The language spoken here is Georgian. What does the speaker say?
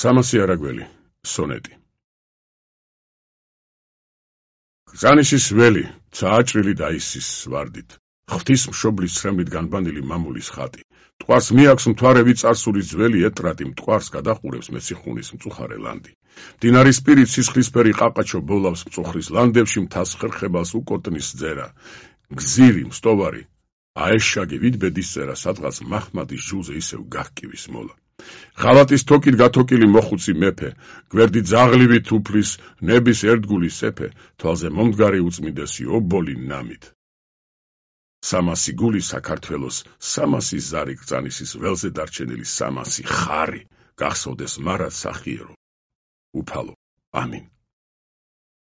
300 არაგველი, სონეტი. გრძანიშის ველი, წააჭრილი დაისის ვარდით. ღვთის მშობლის ცრემლით განბანილი მამულის ხატი. მტკვარს მიაქვს მთვარევი წარსულის ძველი ეტრატი, მტკვარს გადახურებს მეციხუნის მწუხარე ლანდი. მდინარის პირით სისხლისფერი ყაყაჩო ბოლავს მწუხრის ლანდებში, მთას ხერხებალს უკოტნის ძერა. გზირი, მსტოვარი, აეშაგე ვიდბედის წერა, სადღაც მაჰმადის ჟულზე ისევ გահკივის მოლა. ღალატის თოკით გათოკილი მოხუცი მეფე, გვერდით ძაღლივი თუფლის, ნების ერთგული სეფე, თვალზე მომდგარი უწმიდესი ობოლი ნამით. 300 გული საქართველოს, 300 ზარი გრძანისის ველზე დარჩენილი 300 ხარი, გახსოვდეს მარად სახიერო. უფალო, ამინ.